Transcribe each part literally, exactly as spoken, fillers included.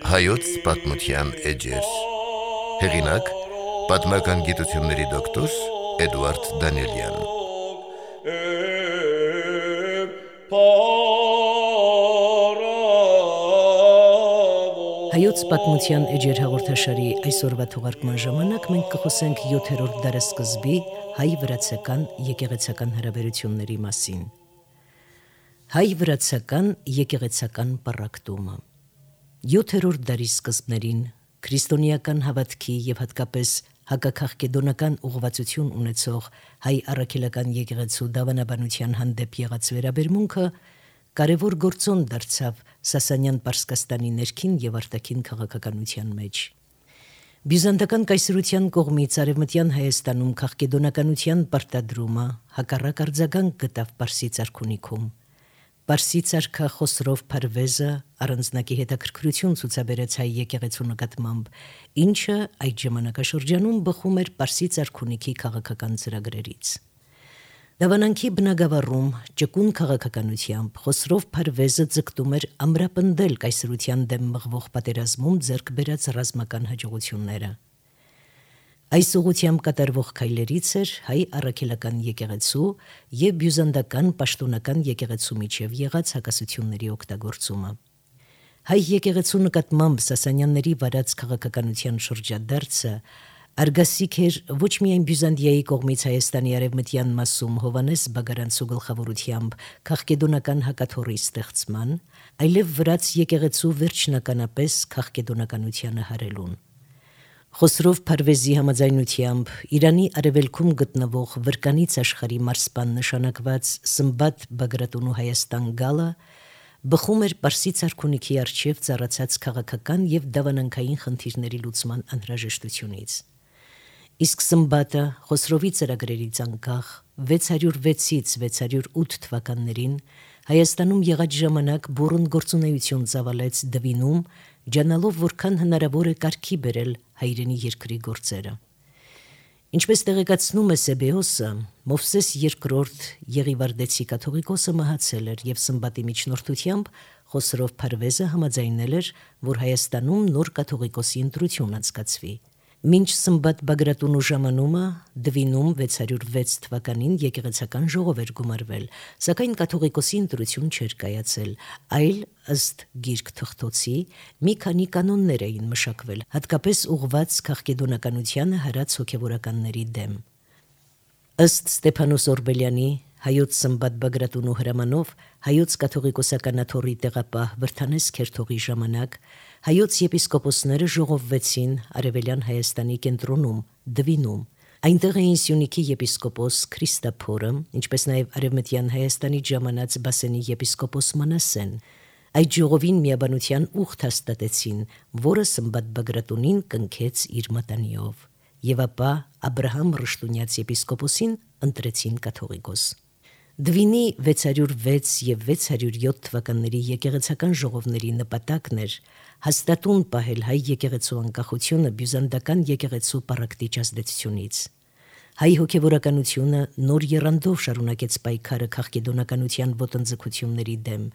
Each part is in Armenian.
Հայոց պատմության էջեր։ Հեղինակ՝ պատմական գիտությունների դոկտոր Էդուարդ Դանիելյան։ Հայոց պատմության էջեր հաղորդաշարի այսօրվա թողարկման ժամանակ մենք կխոսենք յոթերորդ դարասկզբի հայ-վրացական եկեղեցական հարաբերությունների մասին։ Հայ-վրացական եկեղեցական պառակտումը յոթերորդ դարի սկզբներին քրիստոնեական հավատքի եւ հատկապես հակաքաղկեդոնական ուղղվածություն ունեցող հայ առաքելական եկեղեցու դավանաբանության հանդեպ եղած վերաբերմունքը կարևոր գործոն դարձավ Սասանյան Պարսկաստանի ներքին եւ արտաքին քաղաքականության մեջ։ Բյուզանդական կայսրության կողմից Արևմտյան Հայաստանում քաղկեդոնականության պարտադրումը հակառակ արձագանք գտավ Պարսից արքունիքում։ Պարսից արքա Խոսրով Փարվեզը առանձնակի հետաքրքրություն ցուցաբերեց հայ եկեղեցու նկատմամբ, ինչը այդ ժամանակաշրջանում բխում էր Պարսից արքունիքի քաղաքական ծրագրերից։ Դավանանքի բնագավառում ճկուն քաղաքականությամբ Խոսրով Փարվեզը ձգտում էր ամրապնդել կայսրության դեմ մղվող պատերազմում ձեռք բերած ռազմական հաջողությունները։ Այս ուղղությամբ կատարվող քայլերից էր հայ առաքելական եկեղեցու եւ բյուզանդական պաշտոնական եկեղեցու միջև եղած հակասությունների օգտագործումը։ Հայ եկեղեցու նկատմամբ Սասանյանների վարած քաղաքականության շրջադարձը արգասիկ էր ոչ միայն Բյուզանդիայի կողմից Հայաստանի արևմտյան մասում Հովանես Բագարանցու գլխավորությամբ քաղկեդոնական հակաթոռի ստեղծման, այլև վրաց եկեղեցու վերջնականապես քաղկեդոնականությանը հարելուն։ Խոսրով Փարվեզի համաձայնությամբ Իրանի արևելքում գտնվող Վրկանից աշխարհի մարսպան նշանակված Սմբատ Բագրատունու Հայաստան գալը բխում էր Պարսից արքունիքի առջև ծառացած քաղաքական եւ դավանանքային խնդիրների լուծման անհրաժեշտությունից։ Իսկ Սմբատը Խոսրովի ծրագրերից անկախ վեց հարյուր վեցից վեց հարյուր ութ թվականներին Հայաստանում եղած ժամանակ բուռն գործունեություն ծավալեց Դվինում, ջանալով որքան հնարավոր է կարգի բերել հայրենի երկրի գործերը։ Ինչպես տեղեկացնում է Սեբեոսը, Մովսես երկրորդ Եղիվարդեցի կաթողիկոսը մահացել էր եւ Սմբատի միջնորդությամբ Խոսրով Փարվեզը համաձայնել էր, որ Հայաստանում նոր կաթողիկոսի ընտրություն անցկացվի։ Մինչ Սմբատ Բագրատունու ժամանումը Դվինում վեց հարյուր վեց թվականին եկեղեցական ժողով էր գումարվել, սակայն կաթողիկոսի ընտրություն չէր կայացել, այլ ըստ գիրք թղթոցի մի քանի կանոններ էին մշակվել, հատկապես ուղղված քաղկեդոնականությանը հարած հոգևորականների դեմ։ Ըստ Ստեփանոս Օրբելյանի Հայոց Սմբատ Բագրատունու հրամանով Հայոց կաթողիկոսական աթոռի տեղապահ Վրթանես Քերթողի ժամանակ հայոց եպիսկոպոսները ժողովվեցին Արևելյան Հայաստանի կենտրոնում Դվինում։ Այնտեղ էին Սյունիքի եպիսկոպոս Քրիստափորը, ինչպես նաև Արևմտյան Հայաստանի ժամանած Բասենի եպիսկոպոս Մանասեն։ Այդ ժողովին միաբանության ուխտ հաստատեցին, որը Սմբատ Բագրատունին կնքեց իր մատանիով, եւ ապա Աբրահամ Ռշտունյաց եպիսկոպոսին ընտրեցին կաթողիկոս։ Դվինի վեց հարյուր վեց եւ վեց հարյուր յոթ թվականների եկեղեցական ժողովների նպատակն էր հաստատուն պահել հայ եկեղեցու անկախությունը բյուզանդական եկեղեցու պառակտիչ ազդեցությունից։ Հայ հոգևորականությունը նոր եռանդով շարունակեց պայքարը քաղկեդոնականության ոտնձգությունների դեմ,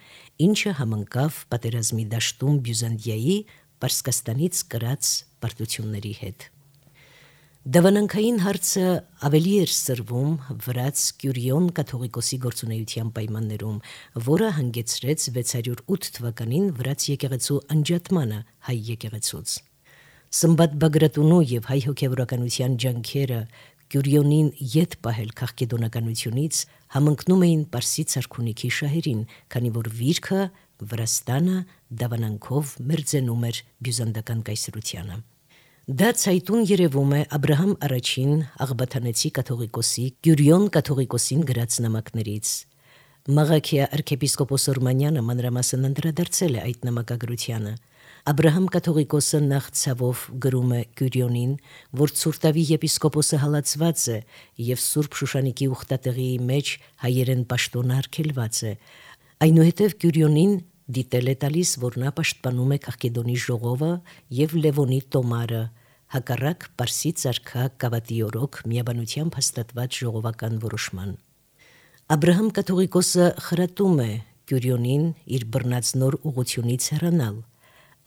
ինչը համընկավ պատերազմի դաշտում Բյուզանդիայի Պարսկաստանից կրած պարտությունների հետ։ Դավանանքային հարցը ավելի էր սրվում վրաց Կյուրիոն կաթողիկոսի գործունեության պայմաններում, որը հանգեցրեց վեց հարյուր ութ թվականին վրաց եկեղեցու անջատմանը հայ եկեղեցուց։ Սմբատ Բագրատունու եւ հայ հոգևորականության ջանքերը Կյուրիոնին ետ պահել քաղկեդոնականությունից համընկնում էին Պարսից արքունիքի շահերին, քանի որ վիրքը Վրաստանը դավանանքով մերձենում էր բյուզանդական կայսրությանը։ Դա ցայտուն երևում է Աբրահամ առաջին աղբաթանեցի կաթողիկոսի Կյուրիոն կաթողիկոսին գրած նամակներից։ Մաղաքիա arczepiskopos Օրմանյանը մանրամասն անդրադարձել է այդ նամակագրությանը։ Աբրահամ կաթողիկոսը նախ ցավով գրում է Կյուրիոնին, որ Ցուրտավի եպիսկոպոսը հալածված է եւ Սուրբ Շուշանիկի ուխտատեղի մեջ հայերեն պաշտոնը արգելված է։ Այնուհետև Կյուրիոնին դիտել է տալիս, որ նա պաշտպանում է Քաղկեդոնի ժողովը եւ Լևոնի տոմարը, հակառակ Պարսից արքա Կավատի օրոք միաբանությամբ հաստատված ժողովական որոշման։ Աբ รา համ կաթողիկոսը խրատում է Կյուրիոնին իր բռնած նոր ուղությունից հեռանալ։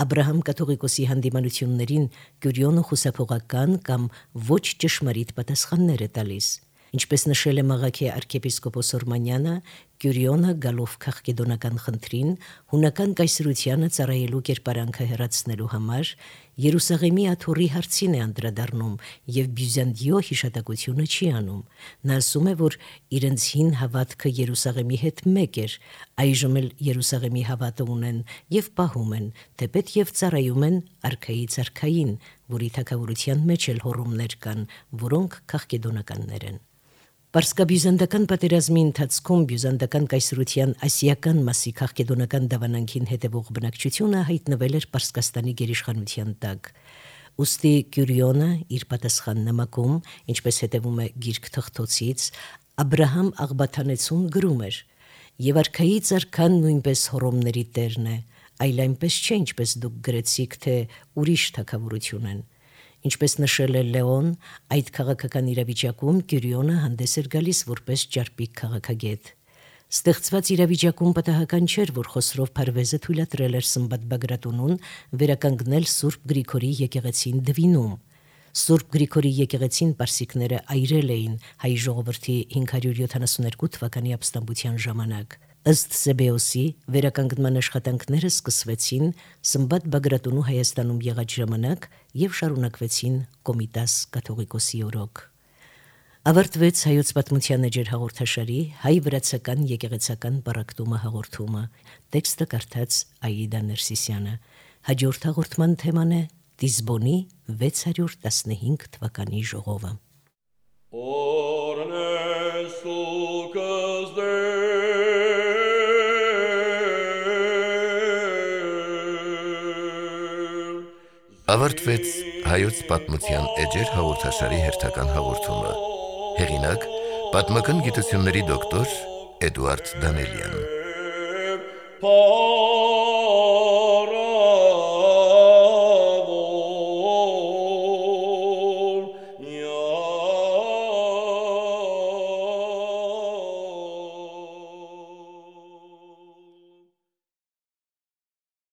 Աբ รา համ կաթողիկոսի հանդիմանություններին Կյուրիոնը խուսափողական կամ ոչ ճշմարիտ պատասխաններ է տալիս։ Ինչպես նշել է Մաղաքե arczepiskopos Օրմանյանը, Կյուրիոնը գալով քաղաքեդոնական խնդրին հունական կայսրությանը ծառայելու կերպարանքը հեռացնելու համար Երուսաղեմի աթոռի հարցին է անդրադառնում եւ Բյուզանդիո հիշատակությունը չի անում։ Նա ասում է, որ իրենց հին հավատքը Երուսաղեմի հետ մեկ էր, այժմ էլ Երուսաղեմի հավատը ունեն եւ պահում են, թեպետ եւ ծառայում են արքայից արքային, որի թագավորության մեջ էլ հոռոմներ կան, որոնք քաղաքեդոնականներ են։ Պարսկաբյուզանդական պատերազմի ընթացքում բյուզանդական կայսրության ասիական մասի քաղաքեդոնական դավանանքին հետևող բնակչությունը հայտնվել էր Պարսկաստանի գերիշխանության տակ։ Ուստի Կյուրիոնը իր պատասխան նամակում, ինչպես հետևում է Գիրք Թղթոցից, Աբ รา համ աղբաթանեցուն գրում էր. «Եվ արքայից արքան նույնպես հոռոմների տերն է, այլ այնպես չէ, ինչպես դուք գրեցիք, թե ուրիշ թագավորություն են»։ Ինչպես նշել է Լեոն, այդ քաղաքական իրավիճակում Կյուրիոնը հանդես էր գալիս որպես ճարպիկ քաղաքագետ։ Ստեղծված իրավիճակում պատահական չէր, որ Խոսրով Փարվեզը թույլատրել էր Սմբատ Բագրատունուն վերականգնել Սուրբ Գրիգորի եկեղեցին Դվինում։ Սուրբ Գրիգորի եկեղեցին պարսիկները այրել էին հայ ժողովրդի հինգ հարյուր յոթանասունհինգ թվականի ապստամբության ժամանակ։ Ըստ Սեբեոսի վերականգնման աշխատանքները սկսվեցին Սմբատ Բագրատունու Հայաստանում եղած ժամանակ եւ շարունակվեցին Կոմիտաս կաթողիկոսի օրոք։ Ավարտվեց հայոց պատմության էջեր հաղորդաշարի հայ-վրացական եկեղեցական պառակտումը հաղորդումը։ Տեքստը կարդաց Աիդա Ներսիսյանը։ Հաջորդ հաղորդման թեման է Դիզբոնի վեց հարյուր տասնհինգ թվականի ժողովը։ Ավարտվեց հայոց պատմության էջեր հաղորդաշարի հերթական հաղորդումը։ Հեղինակ՝ պատմական գիտությունների դոկտոր Էդուարդ Դանելյան։